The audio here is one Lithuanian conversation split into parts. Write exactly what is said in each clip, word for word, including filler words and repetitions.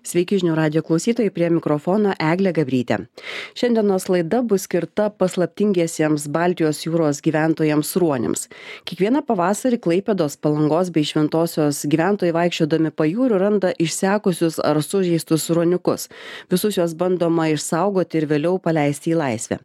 Sveiki žinių radijo klausytojai, prie mikrofono Eglė Gabrytė. Šiandienos laida bus skirta paslaptingiesiems Baltijos jūros gyventojams ruoniams. Kiekvieną pavasarį Klaipėdos, Palangos bei Šventosios gyventojai vaikščiodami pajūriu randa išsekusius ar sužeistus ruoniukus. Visus juos bandoma išsaugoti ir vėliau paleisti į laisvę.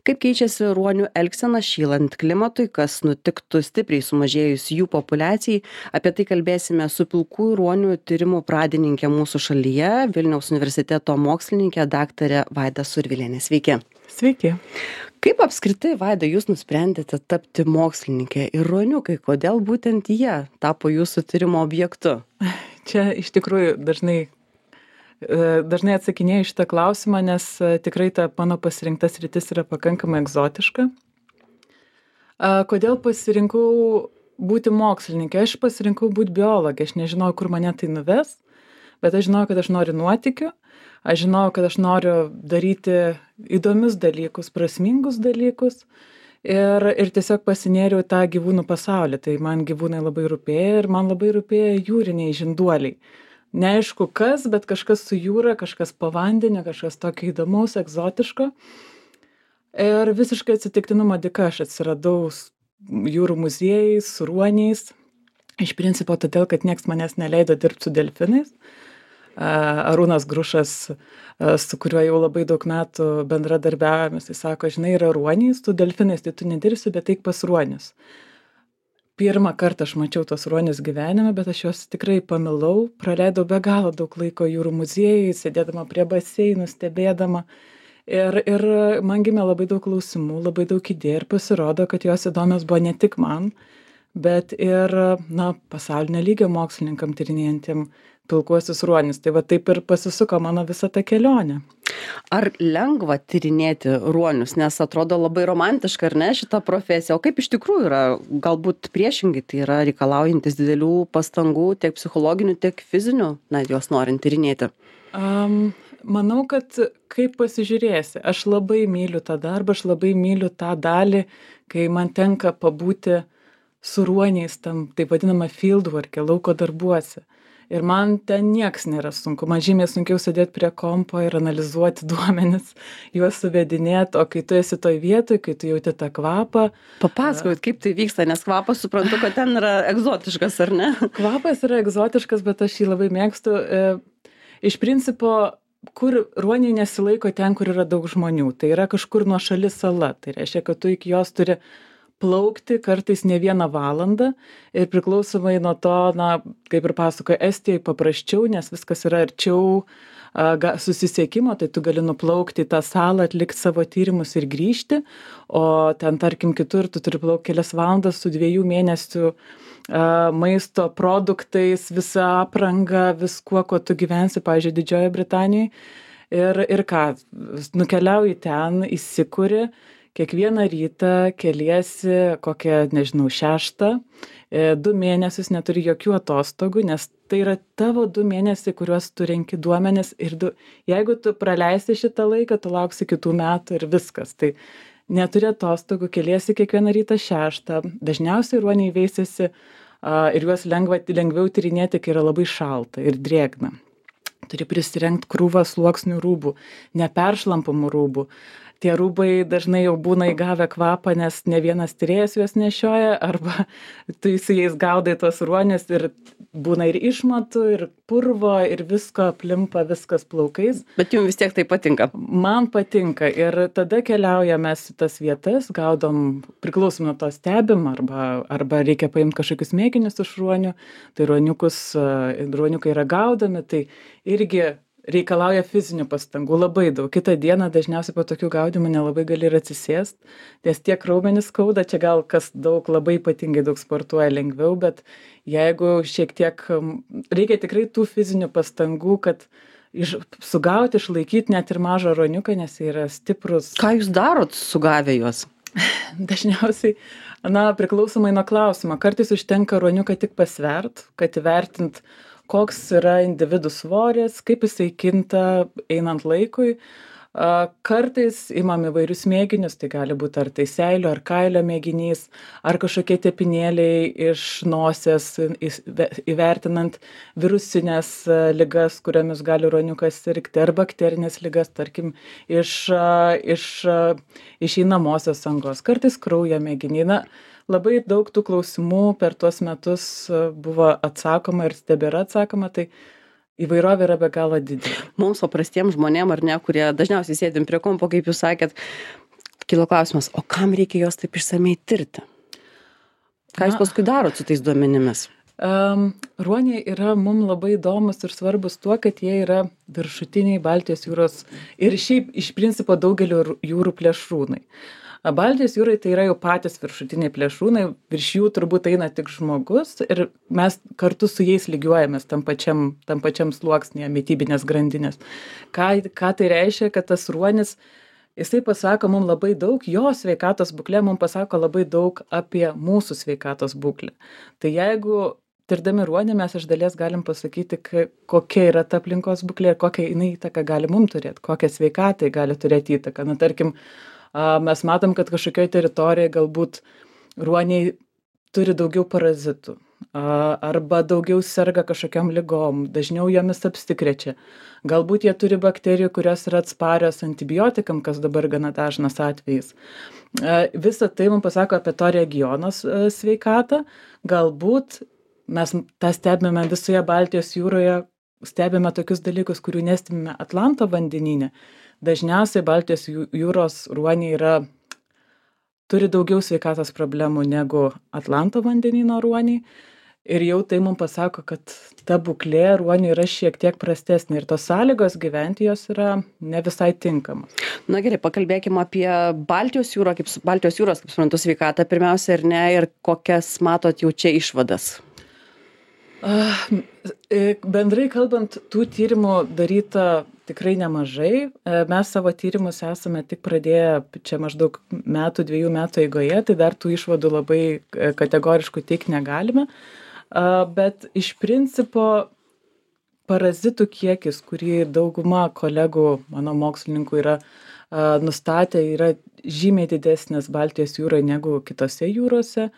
Kaip keičiasi ruonių elgsena šylant klimatui, kas nutiktų stipriai sumažėjus jų populiacijai, apie tai kalbėsime su pilkųjų ruonių tyrimų pradininke mūsų šalyje, Vilniaus universiteto mokslininkė daktarė Vaida Survilienė. Sveiki. Sveiki. Kaip apskritai, Vaida, jūs nusprendėte tapti mokslininkė ir ruoniukai, kodėl būtent jie tapo jūsų tyrimo objektu? Čia iš tikrųjų dažnai, dažnai atsakinėju šitą klausimą, nes tikrai ta mano pasirinkta sritis yra pakankamai egzotiška. Kodėl pasirinkau būti mokslininkė? Aš pasirinkau būti biologė, aš nežinojau, kur mane tai nuves. Bet aš žinojau, kad aš noriu nuotykių, aš žinojau, kad aš noriu daryti įdomius dalykus, prasmingus dalykus ir, ir tiesiog pasinėriau tą gyvūnų pasaulį. Tai man gyvūnai labai rūpėjo ir man labai rūpėjo jūriniai žinduoliai. Neaišku kas, bet kažkas su jūra, kažkas po vandeniu, kažkas tokio įdomaus, egzotiško. Ir visiškai atsitiktinumo dėka aš atsiradau jūrų muziejais, su ruoniais. Iš principo todėl, kad nieks manęs neleido dirbti su delfinais. Arūnas Grušas, su kuriuo jau labai daug metų bendradarbiavome, jis sako, žinai, yra ruoniais, tu delfinais, tai tu nedirbsi, bet eik pas ruonius. Pirmą kartą aš mačiau tos ruonius gyvenime, bet aš juos tikrai pamilau, praleidau be galo daug laiko jūrų muziejui, sėdėdama prie baseinų, stebėdama. Ir, ir man gimė labai daug klausimų, labai daug idėjų ir pasirodo, kad jos įdomios buvo ne tik man, bet ir, na, pasaulinio lygio mokslininkam tyrinėjantiem pilkuosius ruonius. Tai va taip ir pasisuko mano visa ta kelionė. Ar lengva tyrinėti ruonius, nes atrodo labai romantiška, ar ne, šita profesija? O kaip iš tikrųjų yra? Galbūt priešingai tai yra reikalaujantis didelių pastangų, tiek psichologinių, tiek fizinių, na, juos norint tyrinėti? Um, manau, kad kaip pasižiūrėsi, aš labai myliu tą darbą, aš labai myliu tą dalį, kai man tenka pabūti su ruoniais tam, taip vadinama fieldwork, lauko darbuose. Ir man ten nieks nėra sunku. Man žymiai sunkiau sėdėti prie kompo ir analizuoti duomenis, juos suvedinėti, o kai tu esi toj vietoj, kai tu jauti tą kvapą. Papasakokit, kaip tai vyksta, nes kvapas suprantu, kad ten yra egzotiškas, ar ne? Kvapas yra egzotiškas, bet aš jį labai mėgstu. Iš principo, kur ruoniai nesilaiko ten, kur yra daug žmonių. Tai yra kažkur nuošali sala. Tai reiškia, kad tu iki jos turi plaukti kartais ne vieną valandą ir priklausomai nuo to, na, kaip ir pasakoja, Estijai paprasčiau, nes viskas yra arčiau a, susisiekimo, tai tu gali nuplaukti į tą salą, atlikti savo tyrimus ir grįžti, o ten, tarkim, kitur tu turi plaukti kelias valandas su dviejų mėnesių a, maisto produktais, visa apranga, viskuo, kuo tu gyvensi, pavyzdžiui, Didžiojoje Britanijoje. Ir, ir ką, nukeliauji ten, įsikuri, kiekvieną rytą keliesi kokią, nežinau, šeštą, du mėnesius neturi jokių atostogų, nes tai yra tavo du mėnesiai, kuriuos tu renki duomenis ir du, jeigu tu praleisi šitą laiką, tu lauksi kitų metų ir viskas. Tai neturi atostogų, keliesi kiekvieną rytą šeštą, dažniausiai ruoniai veisiasi a, ir juos lengva, lengviau tyrinėti, kai yra labai šalta ir drėgna. Turi prisirengti krūvą sluoksnių rūbų, neperšlampamų rūbų. Tie rūbai dažnai jau būna įgavę kvapą, nes ne vienas tyrėjas juos nešioja, arba tu su jais gaudai tos ruonius ir būna ir išmatų, ir purvo, ir visko aplimpa, viskas plaukais. Bet jums vis tiek tai patinka? Man patinka ir tada keliaujame į tas vietas, gaudom, priklausom nuo to stebim, arba, arba reikia paimti kažkokius mėginius iš ruonių, tai ruoniukus, ruoniukai yra gaudomi, tai irgi reikalauja fizinių pastangų labai daug. Kitą dieną dažniausiai po tokių gaudymų nelabai gali ir atsisėst, nes tiek raumenis skauda, čia gal kas daug labai ypatingai daug sportuoja lengviau, bet jeigu šiek tiek reikia tikrai tų fizinių pastangų, kad iš, sugauti, išlaikyti net ir mažą ruoniuką, nes jie yra stiprus. Ką jūs darot sugavę juos? Dažniausiai, na, priklausomai nuo klausimo. Kartais užtenka ruoniuką tik pasvert, kad įvertint, koks yra individų svoris, kaip jisai kinta einant laikui. Kartais imam įvairius mėginius, tai gali būti ar tai seilio, ar kailio mėginys, ar kažkokie tepinėliai iš nosies, įvertinant virusinės ligas, kuriomis gali ruoniukas sirgti, ar bakterinės ligas, tarkim, iš, iš išeinamosios angos, kartais kraujo mėginiai. Na, labai daug tų klausimų per tuos metus buvo atsakoma ir tebėra atsakoma, tai įvairovė yra be galo didelė. Mums paprastiems žmonėm, ar ne, kurie dažniausiai sėdim prie kompo, kaip jūs sakėt, kilo klausimas, o kam reikia jos taip išsamei tirti? Ką jūs paskui darot su tais duomenimis? Um, ruoniai yra mum labai įdomus ir svarbus tuo, kad jie yra viršutiniai Baltijos jūros ir šiaip iš principo daugelio jūrų plėšrūnai. Baltijos jūrai tai yra jau patys viršutiniai plėšrūnai, virš jų turbūt eina tik žmogus ir mes kartu su jais lygiuojamės tam pačiam, tam pačiam sluoksnėje mitybinės grandinės. Ką, ką tai reiškia, kad tas ruonis, jisai pasako mums labai daug, jo sveikatos būklė mums pasako labai daug apie mūsų sveikatos būklę. Tai jeigu tirdami ruonį mes iš dalies galim pasakyti, kokia yra ta aplinkos būklė ir kokią jinai įtaką gali mums turėti, kokią sveikatai gali turėti įtaką. Na, tarkim, mes matom, kad kažkokioje teritorijoje galbūt ruoniai turi daugiau parazitų arba daugiau serga kažkokiam ligom, dažniau jomis apsikrečia. Galbūt jie turi bakterijų, kurios yra atsparios antibiotikam, kas dabar gana dažnas atvejis. Visa tai mums pasako apie to regiono sveikatą. Galbūt mes tą stebime visoje Baltijos jūroje, stebime tokius dalykus, kurių nestebime Atlanto vandenyne. Dažniausiai Baltijos jūros ruoniai yra, turi daugiau sveikatos problemų negu Atlanto vandenyno ruoniai. Ir jau tai mums pasako, kad ta būklė ruonių yra šiek tiek prastesnė ir tos sąlygos gyventi jos yra ne visai tinkamos. Na gerai, pakalbėkime apie Baltijos jūrą, kaip Baltijos jūros, kaip suprantu, sveikatą pirmiausia ir ne, ir kokias matot jau čia išvadas. Bendrai kalbant, tų tyrimų daryta tikrai nemažai. Mes savo tyrimus esame tik pradėję čia maždaug metų, dviejų metų eigoje, tai dar tų išvadų labai kategoriškų teikti negalime. Bet iš principo parazitų kiekis, kurį dauguma kolegų, mano mokslininkų yra nustatę, yra žymiai didesnis Baltijos jūroje negu kitose jūrose.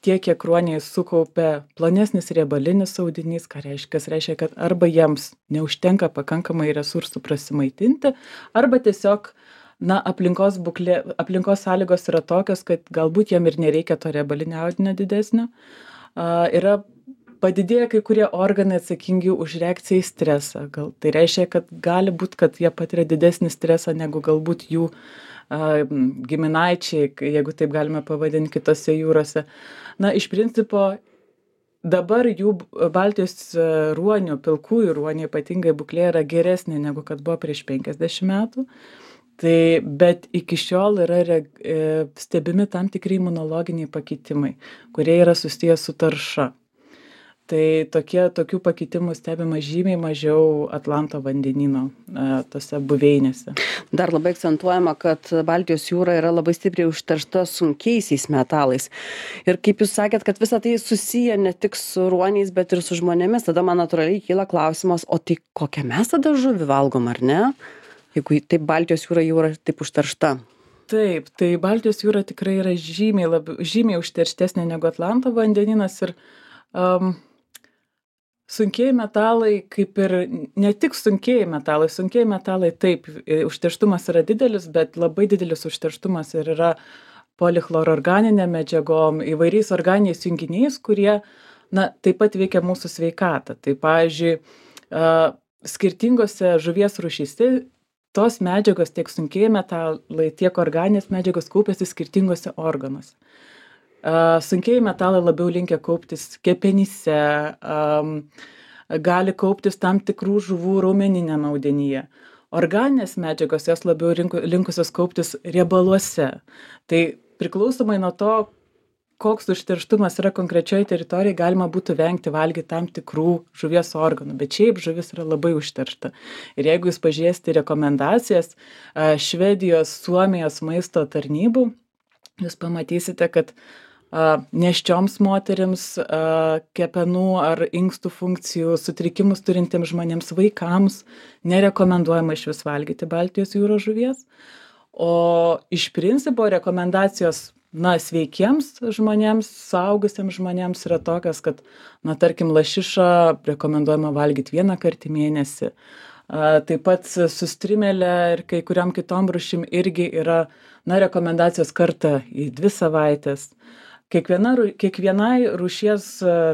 Tiek, kiek ruoniai sukaupia plonesnis riebalinis audinys, ką reiškia, reiškia, kad arba jiems neužtenka pakankamai resursų prasimaitinti, arba tiesiog na, aplinkos, būklė, aplinkos sąlygos yra tokios, kad galbūt jiem ir nereikia to riebalinio audinio didesnio. Uh, yra padidėję kai kurie organai atsakingi už reakciją į stresą. Gal, tai reiškia, kad gali būti, kad jie patiria didesnį stresą negu galbūt jų uh, giminaičiai, jeigu taip galime pavadinti kitose jūrose. Na, iš principo, dabar jų Baltijos ruonių, pilkųjų ruonių ypatingai būklė yra geresnė negu kad buvo prieš penkiasdešimt metų. Tai, bet iki šiol yra re, stebimi tam tikri imunologiniai pakitimai, kurie yra susijęs su tarša. Tai tokie, tokių pakitimų stebima žymiai mažiau Atlanto vandenyno tose buveinėse. Dar labai akcentuojama, kad Baltijos jūra yra labai stipriai užteršta sunkiaisiais metalais. Ir kaip jūs sakėt, kad visa tai susiję ne tik su ruoniais, bet ir su žmonėmis, tada man natūraliai kyla klausimas, o tai kokią mes tada žuvį valgom, ar ne? Jeigu taip Baltijos jūra jau yra taip užteršta. Taip, tai Baltijos jūra tikrai yra žymiai, labiau, žymiai užterštesnė negu Atlanto vandeninas ir um, sunkieji metalai, kaip ir ne tik sunkieji metalai, sunkieji metalai taip, užterštumas yra didelis, bet labai didelis užterštumas ir yra polichlororganinėm medžiagom, įvairiais organiniais junginiais, kurie na, taip pat veikia mūsų sveikatą. Tai pavyzdžiui, uh, skirtingose žuvies rūšyse tos medžiagos, tiek sunkieji metalai, tiek organinės medžiagos kaupiasi skirtingose organuose. Uh, sunkieji metalai labiau linkę kauptis kepenyse, um, gali kauptis tam tikrų žuvų raumeniniame audinyje. Organinės medžiagos jos labiau rinku, linkusios kauptis riebaluose. Tai priklausomai nuo to, koks užterštumas yra konkrečioje teritorijoje, galima būtų vengti valgyti tam tikrų žuvies organų, bet šiaip žuvis yra labai užteršta. Ir jeigu jūs pažiūrėsite rekomendacijas uh, Švedijos, Suomijos maisto tarnybų, jūs pamatysite, kad nėščioms moterims, kepenų ar inkstų funkcijų sutrikimus turintiems žmonėms, vaikams nerekomenduojama iš vis valgyti Baltijos jūros žuvies. O iš principo rekomendacijos, na, sveikiems žmonėms, suaugusiems žmonėms yra tokios, kad, na, tarkim, lašišą rekomenduojama valgyti vieną kartą į mėnesį. Taip pat su strimelė ir kai kuriam kitom rūšim irgi yra, na, rekomendacijos kartą į dvi savaitės. Kiekviena, kiekvienai rūšies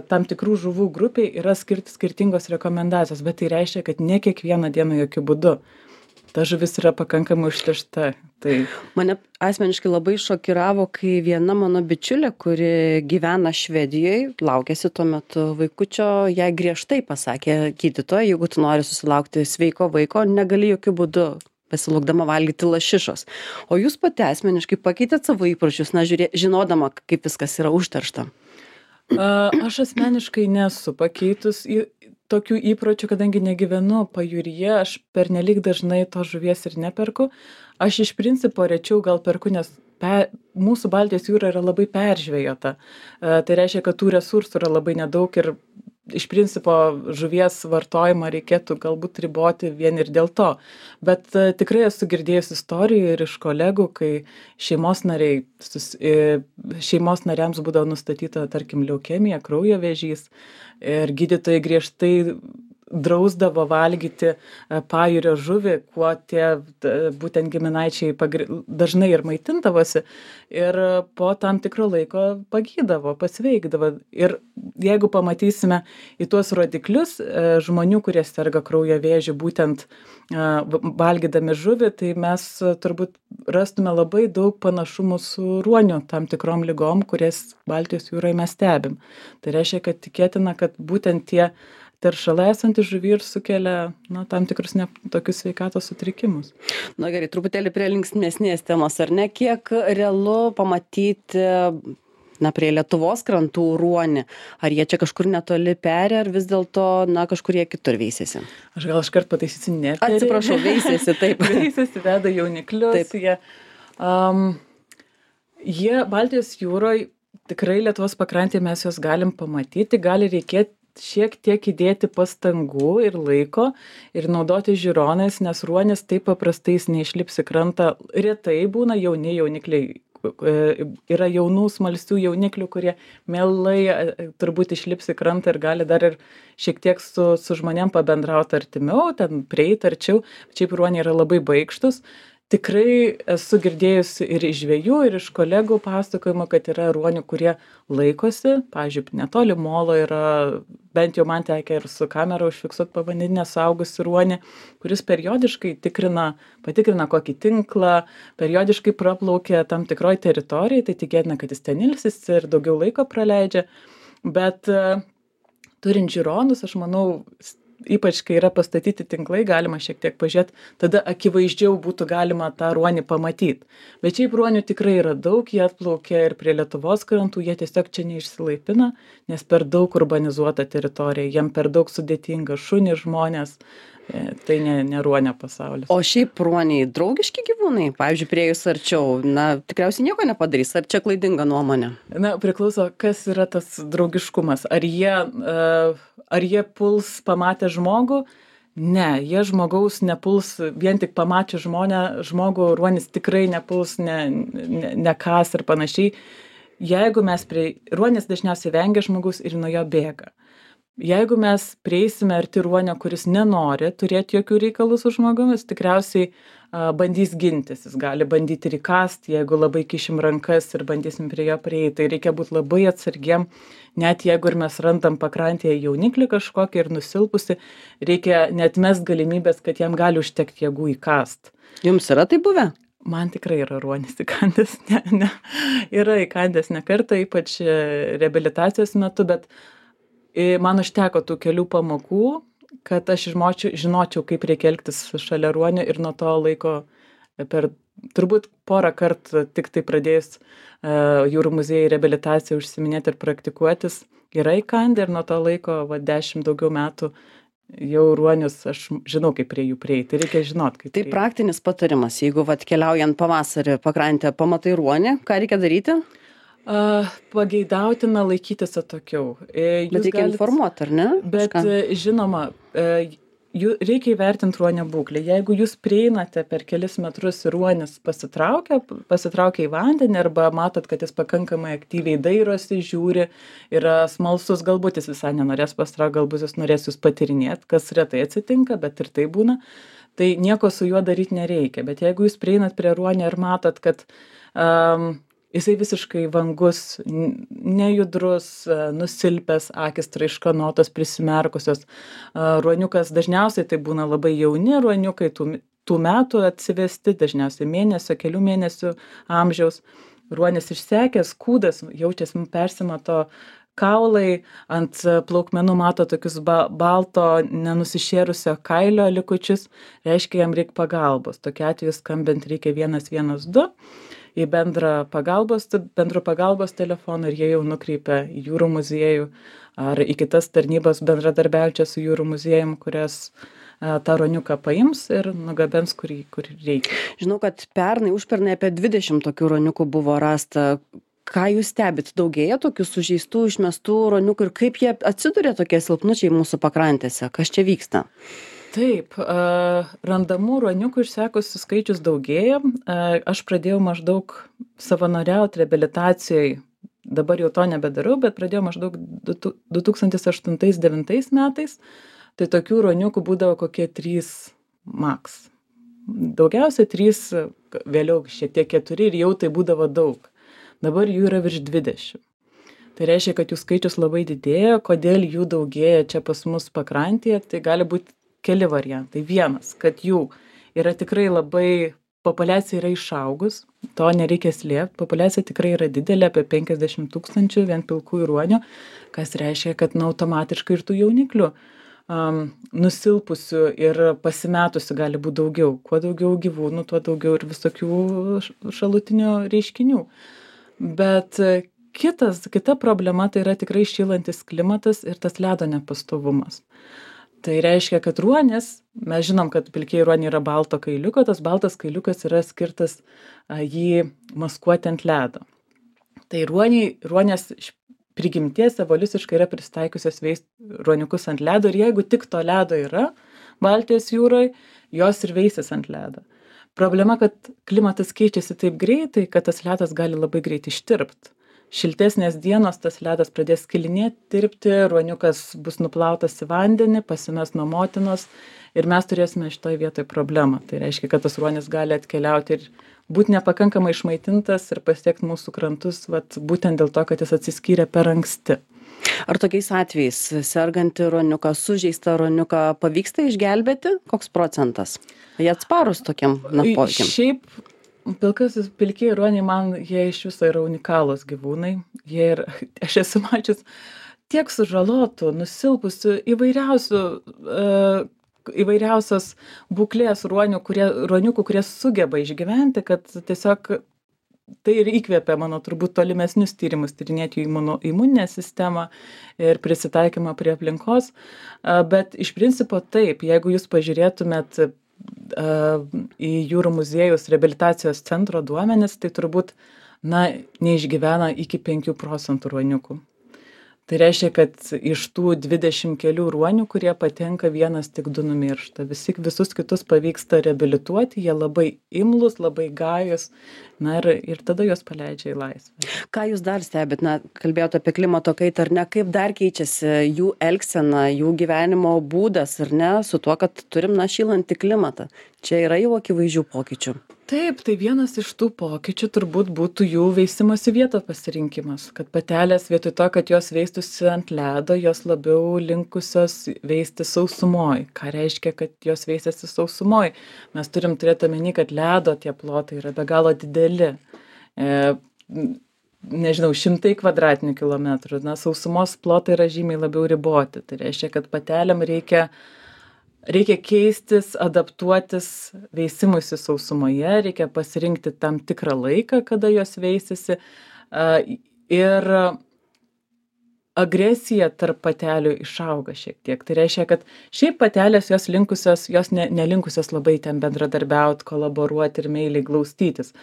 tam tikrų žuvų grupiai yra skirti skirtingos rekomendacijos, bet tai reiškia, kad ne kiekvieną dieną jokių būdų. Ta žuvis yra pakankamai užteršta. Tai... Mane asmeniškai labai šokiravo, kai viena mano bičiulė, kuri gyvena Švedijoje, laukėsi tuo metu vaikučio, jai griežtai pasakė gydytoja, jeigu tu nori susilaukti sveiko vaiko, negali jokių būdų pasilaukdama valgyti lašišos. O jūs pati asmeniškai pakeitėt savo įpročius, na, žiūrė, žinodama, kaip viskas yra užteršta? Aš asmeniškai nesu pakeitus į tokių įpročių, kadangi negyvenu pajūryje, aš pernelyg dažnai to žuvies ir neperku. Aš iš principo rečiau gal perku, nes pe, mūsų Baltijos jūra yra labai peržvejota. Tai reiškia, kad tų resursų yra labai nedaug ir iš principo žuvies vartojimą reikėtų galbūt riboti vien ir dėl to. Bet uh, tikrai esu girdėjus istorijų ir iš kolegų, kai šeimos nariai, sus, e, šeimos nariams būdavo nustatyta, tarkim, leukemija, kraujo vėžys ir gydytojai griežtai drausdavo valgyti pajūrio žuvį, kuo tie būtent giminaičiai pagri... dažnai ir maitindavosi ir po tam tikro laiko pagydavo, pasveikdavo. Ir jeigu pamatysime į tuos rodiklius žmonių, kurie serga kraujo vėžiu, būtent valgydami žuvį, tai mes turbūt rastume labai daug panašumų su ruoniu tam tikrom ligom, kurias Baltijos jūroje mes stebim. Tai reiškia, kad tikėtina, kad būtent tie teršalai esantys žuvy ir sukelia, na, tam tikrus ne, tokius sveikatos sutrikimus. Na gerai, truputėlį prie linksmesnės temos, ar ne? Kiek realu pamatyti, na, prie Lietuvos krantų ruonį? Ar jie čia kažkur netoli peri, ar vis dėlto, na, kažkur jie kitur veisėsi? Aš gal iškart pataisysiu, ne. Atsiprašau, veisėsi, taip. Veisėsi, veda jauniklius. Taip. Jie, um, jie Baltijos jūroje, tikrai Lietuvos pakrantėje mes juos galim pamatyti, gali reikėti šiek tiek įdėti pastangų ir laiko ir naudoti žiūronais, nes ruonis taip paprastai jis neišlips į krantą. Retai būna jauni jaunikliai, yra jaunų smalsių jauniklių, kurie mielai turbūt išlips į krantą ir gali dar ir šiek tiek su, su žmonėm pabendrauti artimiau, ten prieiti arčiau. Šiaip ruoniai yra labai baikštus. Tikrai esu girdėjusi ir iš žvejų, ir iš kolegų pasakojimo, kad yra ruonių, kurie laikosi. Pavyzdžiui, netoli molo yra, bent jau man tekia ir su kamera užfiksuoti povandeninę suaugusį ruonį, kuris periodiškai tikrina, patikrina kokį tinklą, periodiškai praplaukia tam tikroj teritorijai, tai tikėtina, kad jis ten ilsisi ir daugiau laiko praleidžia. Bet turint žiūronus, aš manau, ypač kai yra pastatyti tinklai, galima šiek tiek pažiūrėti, tada akivaizdžiau būtų galima tą ruonį pamatyti. Bet šiaip ruonių tikrai yra daug, jie atplaukia ir prie Lietuvos krantų, jie tiesiog čia neišsilaipina, nes per daug urbanizuota teritorija, jiem per daug sudėtinga, šunys, žmonės, tai ne, ne ruonio pasaulis. O šiaip ruoniai draugiški gyvūnai, pavyzdžiui, prie jūs arčiau, na, tikriausiai nieko nepadarys, ar čia klaidinga nuomonė? Na, priklauso, kas yra tas draugiškumas. Ar jie, ar jie puls pamatę žmogų? Ne, jie žmogaus nepuls, vien tik pamačius žmonę, žmogų ruonis tikrai nepuls, ne, ne, nekas ir panašiai. Jeigu mes prie, ruonis dažniausiai vengia žmogus ir nuo jo bėga. Jeigu mes prieisime arti ruonio, kuris nenori turėti jokių reikalų su žmogumis, tikriausiai a, bandys gintis. Jis gali bandyti ir įkasti, jeigu labai kišim rankas ir bandysim prie jo prieiti. Tai reikia būti labai atsargiem, net jeigu ir mes randam pakrantėje jauniklį kažkokį ir nusilpusi, reikia neatmest galimybės, kad jam gali užtekti jėgų įkast. Jums yra tai buvę? Man tikrai yra ruonis įkandęs, ne, ne, yra įkandęs ne kartą, ypač reabilitacijos metu, bet man užteko tų kelių pamokų, kad aš žinočiau, žinočiau kaip reikia elgtis šalia ruonio ir nuo to laiko per turbūt porą kartų tik tai pradėjus uh, jūrų muziejai reabilitaciją užsiminėti ir praktikuotis, yra įkandę ir nuo to laiko va, dešimt daugiau metų jau ruonius aš žinau, kaip prie jų prieiti. Reikia žinot, kaip tai prieiti. Praktinis patarimas, jeigu vat, keliaujant pavasarį pakrantę pamatai ruonį, ką reikia daryti? A, pageidautina laikytis atokiau. E, Bet Jūs reikia galit, informuoti, ar ne? bet Kažką. e, žinoma, e, jų, reikia įvertinti ruonio būklę. Jeigu jūs prieinate per kelis metrus ir ruonis pasitraukia, pasitraukia į vandenį arba matot, kad jis pakankamai aktyviai dairosi, žiūri, yra smalsus, galbūt jis visai nenorės pasitraukti, galbūt jis norės jūs patirinėti, kas retai atsitinka, bet ir tai būna. Tai nieko su juo daryti nereikia. Bet jeigu jūs prieinat prie ruonio ir matot, kad um, jisai visiškai vangus, n- nejudrus, e, nusilpęs, akys traiškanotos, prisimerkusios. A, Ruoniukas dažniausiai tai būna labai jauni ruoniukai, tų, m- tų metų atsivesti, dažniausiai mėnesio, kelių mėnesių amžiaus. Ruonis išsekęs, kūdas, jaučiasi, persimato kaulai, ant e, plaukmenų mato tokius ba balto nenusišėrusio kailio likučius, reiškia, jam reikia pagalbos. Tokiu atveju skambint reikia vienas vienas du į bendrą pagalbos, bendro pagalbos telefoną ir jie jau nukreipia į jūrų muziejų ar į kitas tarnybas bendradarbiaujančias su jūrų muziejum, kurias e, tą ruoniuką paims ir nugabens, kur, jį- kur reikia. Žinau, kad pernai, užpernai apie dvidešimt tokių ruoniukų buvo rasta. Ką jūs stebit? Daugėja tokių sužeistų, išmestų ruoniukų ir kaip jie atsiduria tokie silpnučiai mūsų pakrantėse? Kas čia vyksta? Taip, a, randamų ruoniukų išsekusių skaičius daugėja. A, Aš pradėjau maždaug savanoriauti reabilitacijai, dabar jau to nebedarau, bet pradėjau maždaug du tu- du tūkstantis aštuntais devintais metais. Tai tokių ruoniukų būdavo kokie trys maks. Daugiausia trys, vėliau šiek tiek keturi ir jau tai būdavo daug. Dabar jų yra virš dvidešimt. Tai reiškia, kad jų skaičius labai didėja. Kodėl jų daugėja čia pas mus pakrantėje, tai gali būti keli variantai. Vienas, kad jų yra tikrai labai, populiacija yra išaugus, to nereikia slėpti, populiacija tikrai yra didelė, apie penkiasdešimt tūkstančių vien pilkųjų ruonių, kas reiškia, kad na, automatiškai ir tų jauniklių um, nusilpusių ir pasimetusių gali būti daugiau. Kuo daugiau gyvūnų, tuo daugiau ir visokių š- šalutinių reiškinių. Bet e, kitas, kita problema tai yra tikrai šylantis klimatas ir tas ledo nepastovumas. Tai reiškia, kad ruonis, mes žinom, kad pilkieji ruoniai yra balto kailiuko, tas baltas kailiukas yra skirtas a, jį maskuoti ant ledo. Tai ruoniai, ruonės iš prigimties evoliuciškai yra pristaikiusios veist ruoniukus ant ledo ir jeigu tik to ledo yra Baltijos jūroje, jos ir veisis ant ledo. Problema, kad klimatas keičiasi taip greitai, kad tas ledas gali labai greitai ištirpti. Šiltesnės dienos tas ledas pradės skilinėti, tirpti, ruoniukas bus nuplautas į vandenį, pasimes nuo motinos ir mes turėsime šitoje vietoje problemą. Tai reiškia, kad tas ruonis gali atkeliauti ir būti nepakankamai išmaitintas ir pasiekti mūsų krantus, vat, būtent dėl to, kad jis atsiskyrė per anksti. Ar tokiais atvejais sergantį ruoniuką, sužeistą ruoniuką pavyksta išgelbėti? Koks procentas? Jie atsparūs tokiam na, I- poveikiam. Šiaip pilkasis pilkieji ruoniai man jie iš viso yra unikalūs gyvūnai. Jie ir, aš esu mačius tiek sužalotų, nusilpusių įvairiausių, uh, įvairiausios būklės ruonių, kurie, ruoniukų, kurie sugeba išgyventi, kad tiesiog tai ir įkvėpė mano turbūt tolimesnius tyrimus, tyrinėti jų imuno, imuninę sistemą ir prisitaikymą prie aplinkos. A, Bet iš principo taip, jeigu jūs pažiūrėtumėt a, į jūrų muziejus reabilitacijos centro duomenis, tai turbūt na, neišgyvena iki penkių procentų ruoniukų. Tai reiškia, kad iš tų dvidešimt kelių ruonių, kurie patenka, vienas tik du numiršta. Visi, visus kitus pavyksta reabilituoti, jie labai imlus, labai gajus, na ir, ir tada juos paleidžia į laisvę. Ką jūs dar stebit? Na, kalbėjote apie klimato kaitą, ar ne? Kaip dar keičiasi jų elgsena, jų gyvenimo būdas, ar ne? Su tuo, kad turim, na, šylantį klimatą. Čia yra jau akivaizdžių pokyčių. Taip, tai vienas iš tų pokyčių turbūt būtų jų veisimosi vietos pasirinkimas. Kad patelės vietoj to, kad jos veistųsi ant ledo, jos labiau linkusios veisti sausumoj. Ką reiškia, kad jos veisiasi sausumoj? Mes turim turėti omeny, kad ledo tie plotai yra be galo dideli. E, nežinau, šimtai kvadratinių kilometrų. Na, sausumos plotai yra žymiai labiau riboti. Tai reiškia, kad patelėm reikia Reikia keistis, adaptuotis veisimuisi sausumoje, reikia pasirinkti tam tikrą laiką, kada jos veisisi. A, Ir agresija tarp patelių išauga šiek tiek. Tai reiškia, kad šiaip patelės jos linkusios, jos ne, nelinkusios labai ten bendradarbiauti, kolaboruoti ir meiliai glaustytis.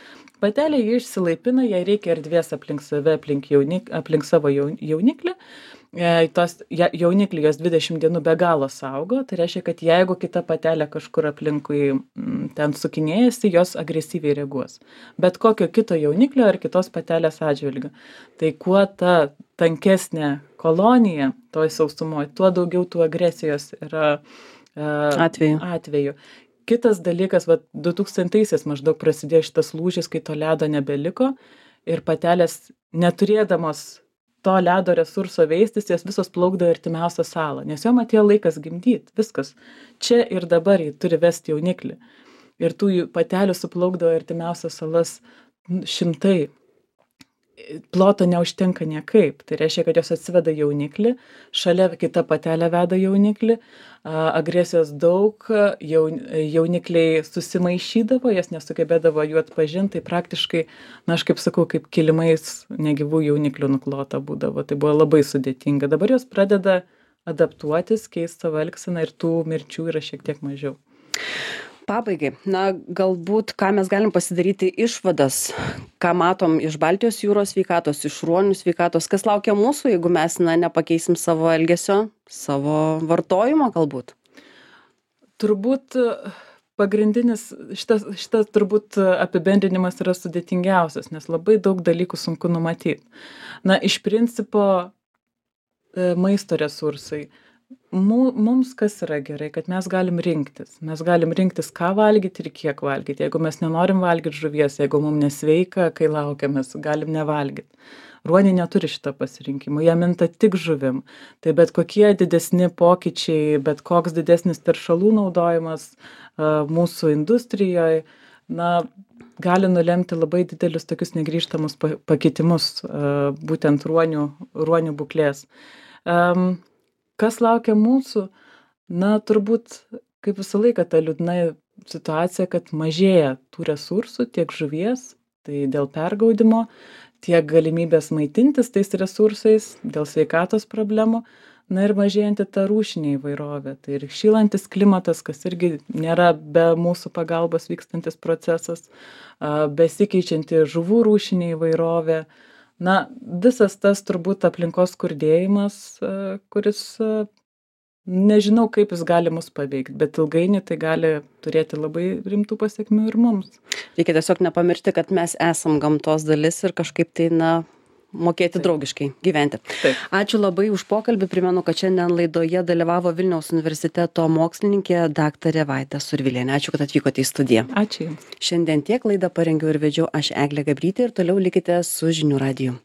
Patelė jį išsilaipina, jai reikia erdvės aplink save, aplink, jaunik, aplink savo jauniklį. E, tos ja, jauniklį jos dvidešimt dienų be galo saugo, tai reiškia, kad jeigu kita patelė kažkur aplinkui m, ten sukinėjasi, jos agresyviai reaguos. Bet kokio kito jauniklio ar kitos patelės atžvilgiu. Tai kuo ta tankesnė kolonija toj sausumoje, tuo daugiau tų agresijos yra e, Atveju. atveju. Kitas dalykas, va, du tūkstantaisiais maždaug prasidėjo šitas lūžis, kai to ledo nebeliko ir patelės neturėdamos to ledo resurso veistis, jos visos plaukdavo į artimiausią salą, nes jom atėjo laikas gimdyti, viskas. Čia ir dabar jį turi vesti jauniklį. Ir tų patelių suplaukdavo į artimiausias salas šimtai. Ploto neužtenka niekaip. Tai reiškia, kad jos atsiveda jauniklį, šalia kita patelė veda jauniklį, agresijos daug, jaun, jaunikliai susimaišydavo, jas nesugebėdavo jų atpažinti, tai praktiškai, na aš kaip sakau, kaip kilimais negyvų jauniklių nuklota būdavo. Tai buvo labai sudėtinga. Dabar jos pradeda adaptuotis, keisti savo elgseną ir tų mirčių yra šiek tiek mažiau. Pabaigai, na galbūt ką mes galim pasidaryti išvadas, ką matom iš Baltijos jūros sveikatos, iš ruonių sveikatos, kas laukia mūsų, jeigu mes na, nepakeisim savo elgesio, savo vartojimo galbūt? Turbūt pagrindinis, šitas, šitas turbūt apibendrinimas yra sudėtingiausias, nes labai daug dalykų sunku numatyti. Na, iš principo maisto resursai. Mums kas yra gerai, kad mes galim rinktis. Mes galim rinktis, ką valgyti ir kiek valgyti. Jeigu mes nenorim valgyti žuvies, jeigu mums nesveika, kai laukiamės, galim nevalgyti. Ruoniai neturi šitą pasirinkimą, jie minta tik žuvim. Tai bet kokie didesni pokyčiai, bet koks didesnis teršalų naudojimas uh, mūsų industrijoje, na, gali nulemti labai didelius tokius negrįžtamus pakitimus uh, būtent ruonių, ruonių būklės. Um, Kas laukia mūsų? Na, turbūt, kaip visą laiką, ta liūdna situacija, kad mažėja tų resursų, tiek žuvies, tai dėl pergaudimo, tiek galimybės maitintis tais resursais, dėl sveikatos problemų, na ir mažėjanti ta rūšinė įvairovė. Tai ir šylantis klimatas, kas irgi nėra be mūsų pagalbos vykstantis procesas, besikeičianti žuvų rūšinė įvairovė. Na, visas tas turbūt aplinkos skurdėjimas, kuris nežinau, kaip jis gali mus paveikti, bet ilgainiui tai gali turėti labai rimtų pasekmių ir mums. Reikia tiesiog nepamiršti, kad mes esam gamtos dalis ir kažkaip tai, na, mokėti Taip. draugiškai gyventi. Taip. Ačiū labai už pokalbį. Primenu, kad šiandien laidoje dalyvavo Vilniaus universiteto mokslininkė daktarė Vaida Survilienė. Ačiū, kad atvykote į studiją. Ačiū Jums. Šiandien tiek laidą parengiau ir vedžiau aš Eglė Gabrytė ir toliau likite su Žinių radiju.